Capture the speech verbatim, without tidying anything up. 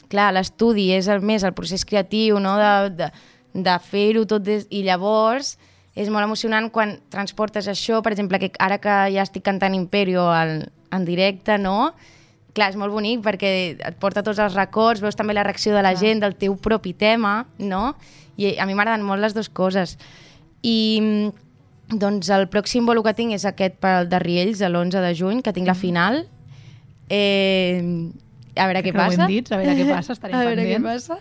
clar, l'estudi és el més el procés creatiu, no? de, de, de fer-ho tot des... i llavors és molt emocionant quan transportes això, per exemple, que ara que ja estic cantant Imperio al, en directe, no? Clar, és molt bonic perquè et porta tots els records, veus també la reacció de la Clar. gent del teu propi tema, no? I a mi m'agraden molt les dues coses. I doncs el pròxim bolo que tinc és aquest pel de Riells, l'onze de juny, que tinc la final. Eh, a veure què Crec que ho passa. hem dit, a veure què passa, estarem a veure pendents. què passa.